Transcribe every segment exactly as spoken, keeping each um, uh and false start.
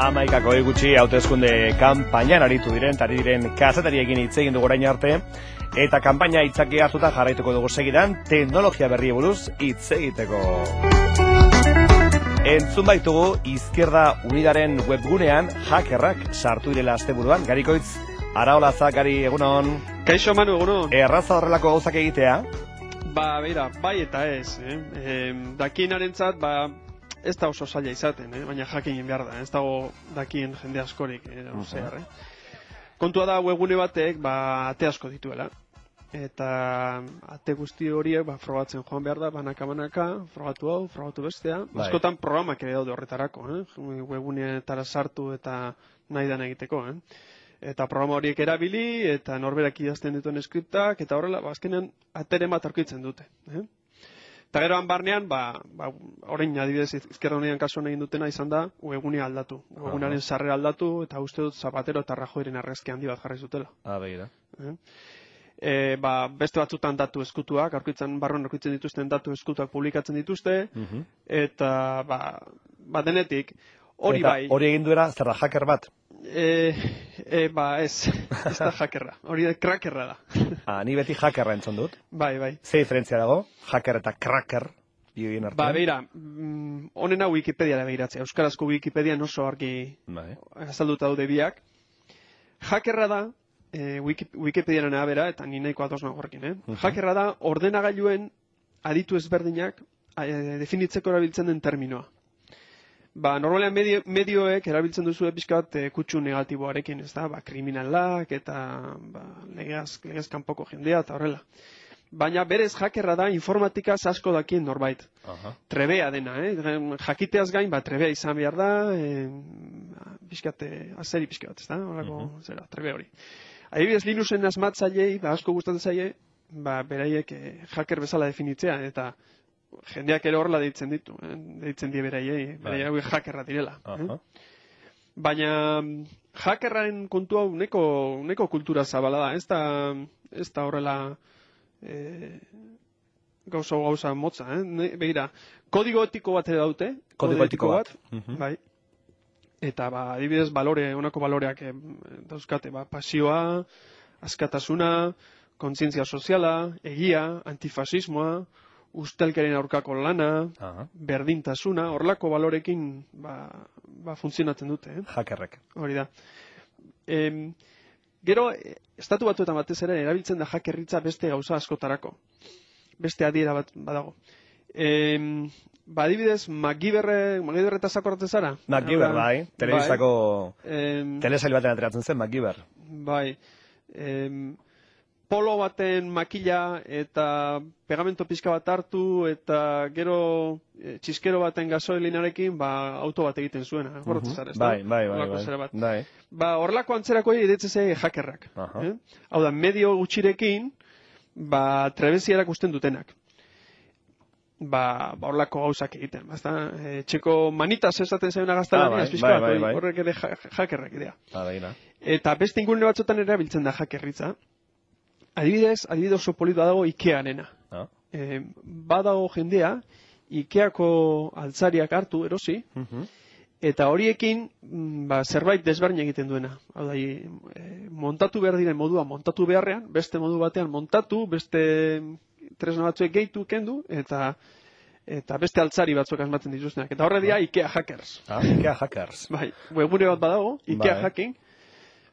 Hamaikako gutxi hauteskunde kanpainan aritu diren, ari diren kazetariekin hitz egin dugu orain arte, eta kanpaina hitzaki hartuta jarraituko dugu segidan teknologia berri buruz hitz egiteko. Entzun baitugu Izquierda Unidaren webgunean hackerrak sartu direla asteburuan. Garikoitz, Araolaza, Gari, egunon. Kaixo Manu, egunon. Erraza horrelako gauzak egitea? Ba, beira, bai eta ez, eh? E, dakienarentzat, ba, ez da oso zaila izaten, eh? Baina jakinen behar da, ez dago dakien jende askorik, eh? Uh -huh. eh? Kontua da webgune batek, ba, ate asko dituela. Eta ate guzti horiek, ba, frogatzen joan behar da, banaka-banaka, frogatu hau, frogatu bestea. Bai. Askotan programak ere daude horretarako, eh? Webguneetara sartu eta nahi dan egiteko, eh? Eta programa horiek erabili, eta norberak idazten dituen skriptak, eta horrela, ba, azkenean atere bat aurkitzen dute. Eh? Eta geroan barnean, ba, ba, orain adibidez Izquierda Unidan kasuan egin dutena izan da, webgunea aldatu. Webgunearen sarrera aldatu, eta uste dut Zapatero eta Rajoyren argazki handi bat jarri zutela. Ah, begira. Eh? E, ba, beste batzutan datu eskutuak, aurkitzen, barruan aurkitzen dituzten datu eskutuak publikatzen dituzte, uh-huh. eta, ba, ba denetik, hori bai. Hori egin duera, zer da, hacker bat? E, e, ba, ez, ez da hackerra, hori da crackerra da. Ah, ni beti hackerra entzun dut. Bai, bai. Ze diferentzia dago, hacker eta cracker? Ba, beira, honena Wikipediara begiratzea, euskarazko Wikipedia oso argi bai. Azalduta daude biak. Hackerra da, e, Wiki, Wikipediaren abera, eta ni nahiko ados nagorrekin, eh? Uh-huh. Hackerra da, ordenagailuen aditu ezberdinak e, definitzeko erabiltzen den terminoa. Ba, normalean medio, medioek erabiltzen duzu pixka bat e, kutsu negatiboarekin, ez da? Ba, kriminalak eta ba, legez, legez kanpoko jendea eta horrela. Baina berez hackerra da informatikaz asko dakien norbait. Uh-huh. Trebea dena, eh? Jakiteaz gain, ba, trebea izan behar da, e, pixkate, azeri pixka bat, ez da? Horako, uh-huh. zera, trebe hori. Adibidez, Linuxen asmatzailei, ba, asko gustatzen zaie, ba, beraiek e, hacker bezala definitzea, eta jendeak ere horrela deitzen ditu, eh? Deitzen die beraiei, beraiek hackerra direla. Uh-huh. eh? Baina hackerraren kontua uneko, uneko kultura zabala da, ez da, ez da horrela e, gauza gauza motza, eh? Begira, kodigo etiko bat ere daute, kodigo etiko bat, bat. Uh-huh. bai. Eta ba, adibidez, balore, honako baloreak eh, dauzkate, ba, pasioa, askatasuna, kontzientzia soziala, egia, antifasismoa, ustelkeren aurkako lana, uh-huh. berdintasuna, horlako balorekin ba, ba, funtzionatzen dute. Eh? Hackerrek. Hori da. E, gero, estatu batuetan batez ere, erabiltzen da hackerritza beste gauza askotarako. Beste adiera bat badago. E, ba, adibidez, MacGyverre, MacGyverre zakorratzen zara? MacGyver, bai. Telebistako bai. Telesail baten ateratzen zen, MacGyver. Bai. E, polo baten makila eta pegamento pixka bat hartu eta gero e, txiskero baten gasolinarekin ba, auto bat egiten zuena. Uh-huh. Zara, bai, bai, bai, bai. bai. Ba, horrelako antzerako editzen ze hackerrak. Uh-huh. eh? Hau da, medio gutxirekin ba, trebezia erakusten dutenak. Ba, ba horlako gauzak egiten. E, txeko manitas esaten zailuna gaztelania, ah, bai, bai, bai, bai. Horrek ere hackerrak idea. Ah, bai, eta beste ingurune batzotan erabiltzen da hackerritza. Adibidez, adibidez oso polita dago Ikeanena. Ah. E, badago jendea, Ikeako altzariak hartu, erosi, uh-huh. eta horiekin ba, zerbait desberdin egiten duena. Hau da, e, montatu behar diren modua montatu beharrean, beste modu batean montatu, beste tresna batzuek gehitu kendu, eta eta beste altzari batzuk asmatzen dituztenak. Eta horre dira Ikea hackers. Ah, Ikea hackers. Bai, webgune bat badago, Ikea bai. hacking,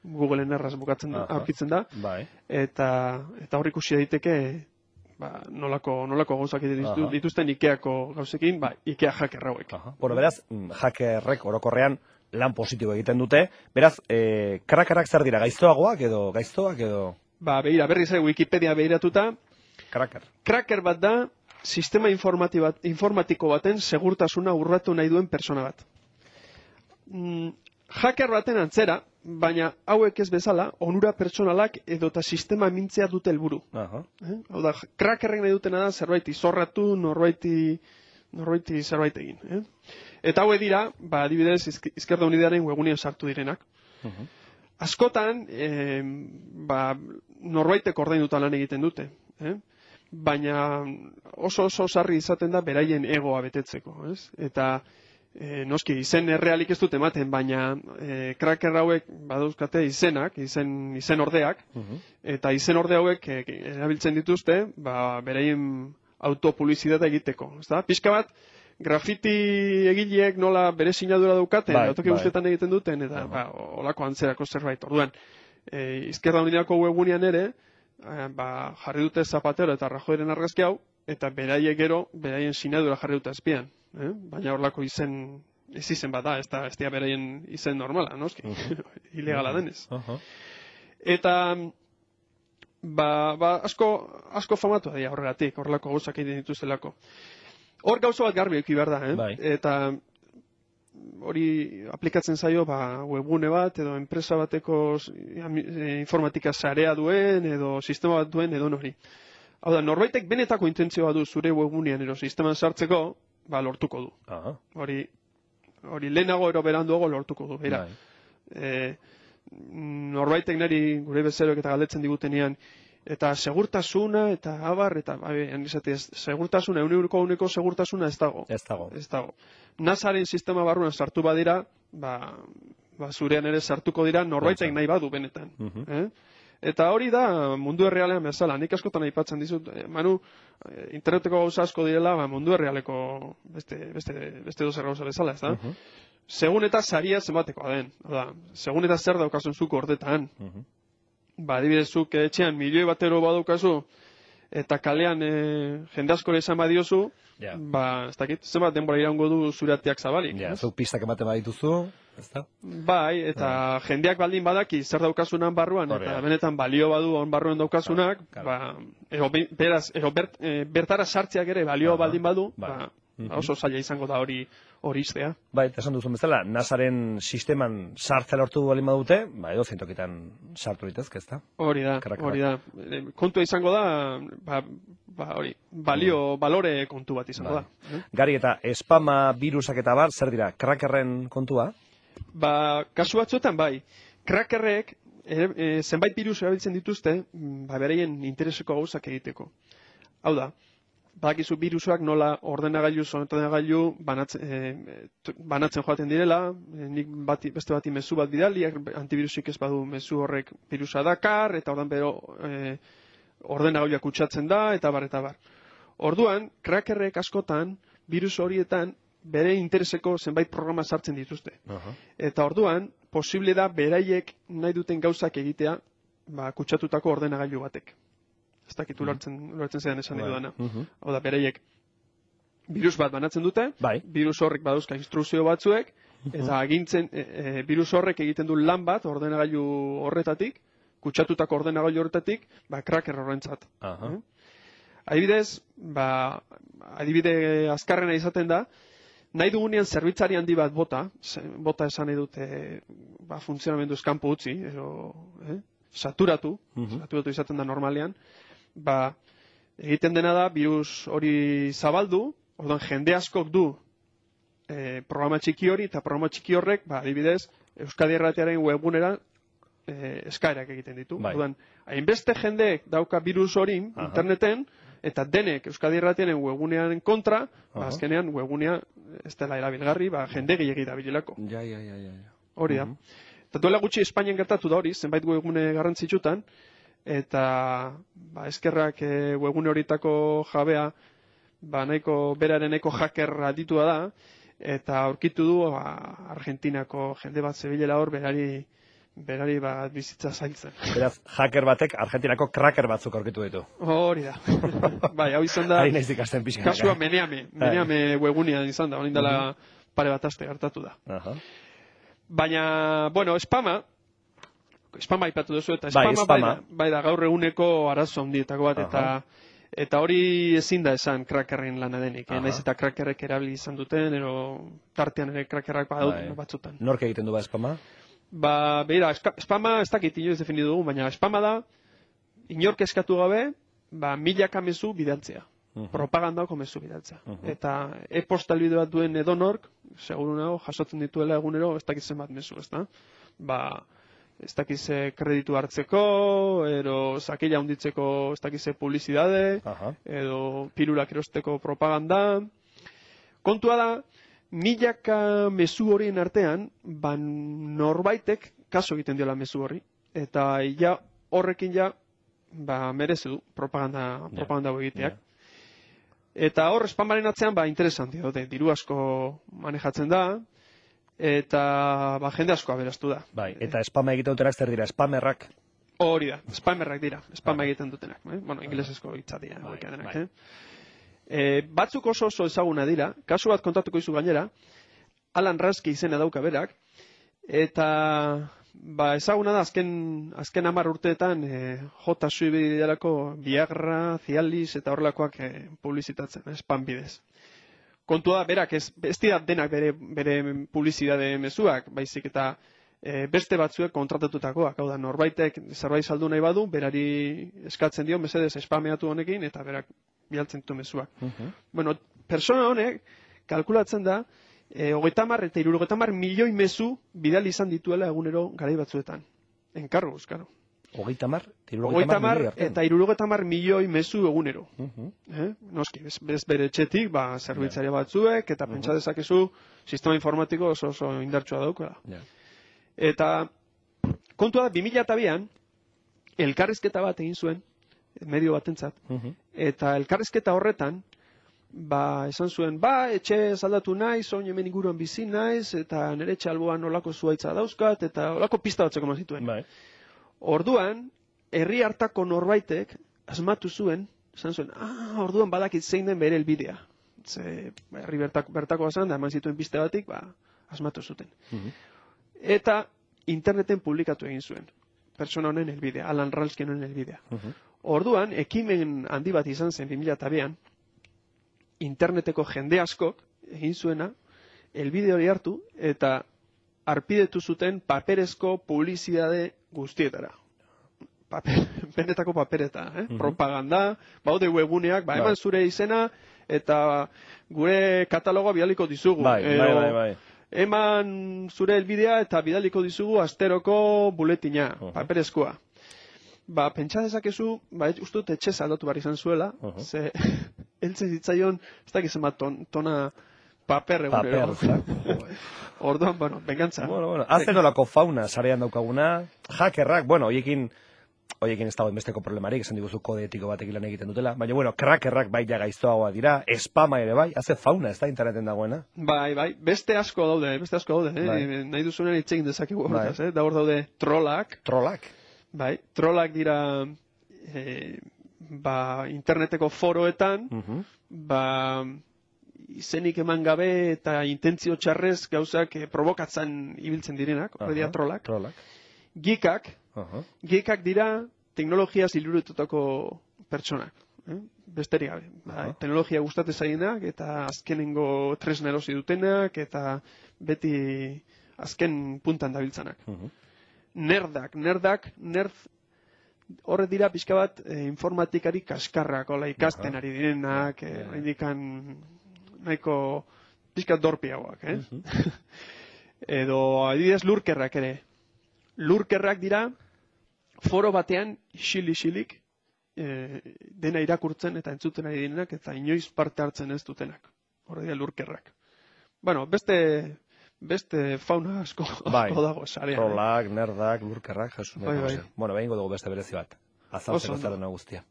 Googleen erraz bukatzen da, aurkitzen da, bai. eta eta hor ikusi daiteke ba, nolako, nolako gauzak ditu, dituzten Ikeako gauzekin, ba, Ikea hacker hauek. Bueno, beraz, hackerrek orokorrean lan positibo egiten dute, beraz, e, krakarak zer dira, gaiztoagoak edo, gaiztoak edo? Ba, behira, berriz ere Wikipedia behiratuta, Cracker. Cracker bat da, sistema bat, informatiko baten segurtasuna urratu nahi duen persona bat. Mm, hacker baten antzera, baina hauek ez bezala, onura pertsonalak edota sistema mintzea dute helburu. Uh-huh. Eh? Hau da, crackerrek nahi dutena da zerbait izorratu, norbaiti, norbaiti zerbait egin. Eh? Eta hauek dira, ba, adibidez, Izquierda Unidaren webgunean sartu direnak. Uh-huh. Askotan, eh, ba, norbaitek ordainduta lan egiten dute. Eh? Baina oso oso sarri izaten da beraien egoa betetzeko. Ez? Eta E, noski, izen errealik ez dut ematen, baina e, kraker hauek badauzkate izenak, izen, izen ordeak, uh-huh. eta izen orde hauek e, erabiltzen dituzte, ba, bereien autopublizitate egiteko. Ezta? Pixka bat, grafiti egileek nola bere sinadura daukaten, bai, autoki guztetan egiten duten, eta uh-huh. ba, olako antzerako zerbait. Orduan, e, Izquierda Uniako webgunean ere, e, ba, jarri dute Zapatero eta Rajoyren argazki hau, eta beraiek gero, beraien sinadura jarri dute azpian. Eh? Baina horlako izen, ez izen bat da, ez da, ez da beraien izen normala, noski, uh-huh. ilegala denez. Uh-huh. Eta, ba, ba, asko, asko famatu da horregatik, horrelako gauzak egiten dituztelako. Hor gauza bat garbi eki behar da, eh? Bai. Eta hori aplikatzen zaio, ba, webgune bat, edo enpresa bateko informatika sarea duen, edo sistema bat duen, edo nori. Hau da, norbaitek benetako intentzioa du zure webgunean edo sisteman sartzeko, ba, lortuko du. Aha. Hori, hori lehenago ero beranduago lortuko du. Beira, e, norbaitek niri gure bezeroek eta galdetzen digutenean, eta segurtasuna, eta abar, eta, bai, segurtasuna, euneko euneko segurtasuna ez dago. Ez dago. Ez dago. NASAren sistema barruan sartu badira, ba, ba zurean ere sartuko dira, norbaitek nahi badu benetan. Uh-huh. eh? Eta hori da mundu errealean bezala. Nik askotan aipatzen dizut, eh, Manu, eh, interneteko gauza asko direla, ba, mundu errealeko beste, beste, beste dozer gauza bezala, ez da? Uh-huh. Segun eta saria zenbatekoa den. Da, segun eta zer daukasun zuko ordetan. Uh-huh. Ba, adibidezuk etxean milioi batero badaukazu, eta kalean e, jende askore esan badiozu, yeah. ba, ez dakit, zenbat denbora iraungo du zureatiak zabalik. Ja, yeah, zuk pistak ematen badituzu, ez da? Bai, eta yeah. jendeak baldin badaki zer daukasunan barruan, Hore, eta ja. benetan balio badu on barruan daukasunak, claro, claro. ba, ero, beraz, ero bert, e, bertara sartzeak ere balio uh-huh. baldin badu, bai. ba, uh-huh. oso zaila izango da hori hori iztea. Bai, esan duzun bezala, NASAren sisteman sartzea lortu baldin badute, ba, edo zentokitan sartu ditezke, ez da? Hori da, hori da. Kontua izango da, ba, ba, hori, balio, mm. balore kontu bat izango ba. da. Eh? Gari, eta spama, virusak eta bar, zer dira, crackerren kontua? Ba, kasu batzuetan bai. Crackerrek, e, e, zenbait virus erabiltzen dituzte, ba, bereien intereseko gauzak egiteko. Hau da, badakizu virusak nola ordenagailu, ordenagailu banatzen, e, banatzen joaten direla, e, nik bati, beste bati mezu bat bidali, antivirusik ez badu mezu horrek virusa dakar, eta ordan bero e, ordenagailuak kutsatzen da, eta bar, eta bar. Orduan, crackerrek askotan, virus horietan, bere intereseko zenbait programa sartzen dituzte. Uh-huh. Eta orduan, posible da beraiek nahi duten gauzak egitea, ba, kutsatutako ordenagailu batek. Ez dakit ulertzen, ulertzen zean esan edo dana. Uh-huh. Hau da, bereiek virus bat banatzen dute, bai. Virus horrek badauzka instrukzio batzuek, uh-huh. eta agintzen, e, e, virus horrek egiten du lan bat ordenagailu horretatik, kutsatutako ordenagailu horretatik, ba, cracker horrentzat. Uh-huh. eh? Adibidez, ba, adibide azkarrena izaten da, nahi dugunean zerbitzari handi bat bota, bota esan nahi dute, ba, funtzionamendu eskampo utzi, edo, eh? saturatu, uh-huh. saturatu izaten da normalean, ba, egiten dena da, virus hori zabaldu, orduan jende askok du e, programa txiki hori, eta programa txiki horrek, ba, adibidez, Euskadi Irratiaren webgunera e, eskaerak egiten ditu. Bai. Orduan, hainbeste jendeek dauka virus hori uh-huh. interneten, eta denek Euskadi Irratiaren webgunean kontra, uh-huh. ba, azkenean webgunea ez dela erabilgarri, ba, jende gehiagit dabilelako. Ja, ja, ja, ja. Hori da. Uh-huh. Eta duela gutxi Espainian gertatu da hori, zenbait webgune garrantzitsutan, eta ba, eskerrak e, webgune horitako jabea, ba, nahiko beraren eko hacker aditua da, eta aurkitu du ba, Argentinako jende bat zebilela hor, berari, berari ba, bizitza zailtzen. Beraz, hacker batek Argentinako cracker batzuk aurkitu ditu. Hori da. Bai, hau izan da, kasua meneame, meneame webgunean izan da, honin dela uh-huh. pare bat aste gertatu da. Uh-huh. Baina, bueno, spama, spama aipatu duzu, eta spama, bai, spama. Bai, da, bai da gaur eguneko arazo handietako bat, eta, eta hori ezin da esan crackerren lana denik, eh? Naiz eta crackerrek erabili izan duten, ero tartean ere crackerrak badaut bai. batzutan. Nork egiten du ba spama? Ba, beira, spama ez dakit inoiz definidu dugu, baina spama da, inork eskatu gabe, ba, milaka mezu bidaltzea. Uh-huh. Propagandako mezu bidaltzea. Uh-huh. Eta e-postal bideo bat duen edonork, seguru nago, jasotzen dituela egunero, ez dakitzen bat mezu, ez da? Ba, ez dakize kreditu hartzeko, edo zakila hunditzeko ez dakize publizidade, uh-huh. edo pirulak erosteko propaganda. Kontua da, milaka mezu horien artean, ba norbaitek kaso egiten diola mezu horri, eta ja horrekin ja, ba merezi du propaganda, yeah. propaganda egiteak. Yeah. Eta hor, spamaren atzean, ba, interesanti dute, diru asko manejatzen da, eta ba, jende asko aberaztu da. Bai, eta spama egiten dutenak zer dira, spamerrak? Hori da, spamerrak dira, spama egiten dutenak. Eh? Bueno, inglesezko hitza dira. Bai, denak, bai. eh? E, batzuk oso oso ezaguna dira, kasu bat kontatuko izu gainera, Alan Raski izena dauka berak, eta ba, ezaguna da azken, azken hamar urteetan e, jota suibidelako Viagra, Cialis eta horrelakoak e, publizitatzen, spam bidez. Kontua berak ez, ez dira denak bere, bere publizidade mezuak, baizik eta e, beste batzuek kontratatutakoak, hau da norbaitek zerbait saldu nahi badu, berari eskatzen dio, mesedez spameatu honekin, eta berak bialtzen ditu mezuak. Uh-huh. Bueno, persona honek kalkulatzen da, e, hogeita hamar eta hirurogeita hamar milioi mezu bidali izan dituela egunero garai batzuetan. Enkargo, euskaro. Hogeita hamar eta hirurogeita hamar milioi mezu egunero. Uh-huh. eh? Noski, bez, bez bere etxetik, ba, zerbitzaria yeah. batzuek, eta uh-huh. pentsa dezakezu sistema informatiko oso oso indartsua daukela. Yeah. Eta kontua da, bi mila bian, elkarrizketa bat egin zuen, medio batentzat, uh-huh. eta elkarrizketa horretan, ba, esan zuen, ba, etxe zaldatu naiz, oin hemen inguruan bizi naiz, eta nire etxe alboan olako zuaitza dauzkat, eta olako pista batzeko ma zituen. Bai. Orduan, herri hartako norbaitek, asmatu zuen, esan zuen, ah, orduan badakit zein den bere helbidea. Ze, herri bertako, bertako bazan, da eman zituen piste batik, ba, asmatu zuten. Uh-huh. Eta interneten publikatu egin zuen. Pertsona honen helbidea, Alan Ralskin honen helbidea. Uh-huh. Orduan, ekimen handi bat izan zen bi mila bian, interneteko jende askok egin zuena, helbide hori hartu, eta arpidetu zuten paperezko publizidade guztietara. Paper, benetako papereta, eh? Uh-huh. Propaganda, baude webuneak, ba, eman zure izena, eta gure katalogoa bidaliko dizugu. Bai, Edo, bai, bai, bai. Eman zure helbidea eta bidaliko dizugu asteroko buletina, uh-huh. paperezkoa. Ba, pentsa dezakezu, ba, uste dut etxe aldatu behar izan zuela, uh-huh. ze, eltze zitzaion, ez dakiz ema ton, tona paper egunero. Paper, Orduan, bueno, bengantza. Bueno, bueno, hazen olako fauna sarean daukaguna, hackerrak, bueno, hoiekin, hoiekin ez dago enbesteko problemarik, esan diguzu kode etiko batekin lan egiten dutela, baina, bueno, crackerrak bai ja gaiztoagoa dira, spama ere bai, haze fauna, ez da interneten dagoena? Bai, bai, beste asko daude, beste asko daude, eh? Bai. Nahi duzunen itxegin dezakegu, bai. eh? Da hor daude trollak. Trollak? Bai, trollak dira, eh, ba, interneteko foroetan, uh-huh. ba, izenik eman gabe eta intentzio txarrez gauzak eh, provokatzen ibiltzen direnak, hori dira trollak. Trollak. Geekak, uh-huh. geekak dira teknologiaz ilurututako pertsonak. Eh? Besterik gabe. Uh-huh. Teknologia gustatzen zainak eta azkenengo tresna erosi dutenak eta beti azken puntan dabiltzanak. Uh-huh. Nerdak, nerdak, nerd horre dira pixka bat eh, informatikari kaskarrak, ola ikasten ari direnak, eh, yeah. indikan nahiko pixka dorpiagoak, eh? Uh-huh. Edo adibidez lurkerrak ere. Lurkerrak dira foro batean xili-xilik eh, dena irakurtzen eta entzuten ari direnak eta inoiz parte hartzen ez dutenak. Horre dira lurkerrak. Bueno, beste beste fauna asko, bai, asko dago sarean. Trollak, eh? Nerdak, lurkerrak, jasun. Bai, bai. Bueno, behingo dugu beste berezi bat. Azaltzeko zer dena guztia.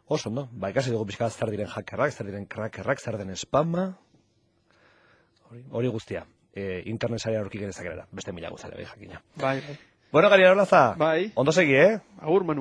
Oso, no? Ba, ikasi dugu pixka zer diren hackerrak, zer diren crackerrak, zer den spama. Hori, hori guztia. E, internet sarea aurki genezak erara. Beste mila guztia, bai, jakina. Bai, bai. Bueno, Gari Arolaza. Bai. Ondo segi, eh? Agur, Manu.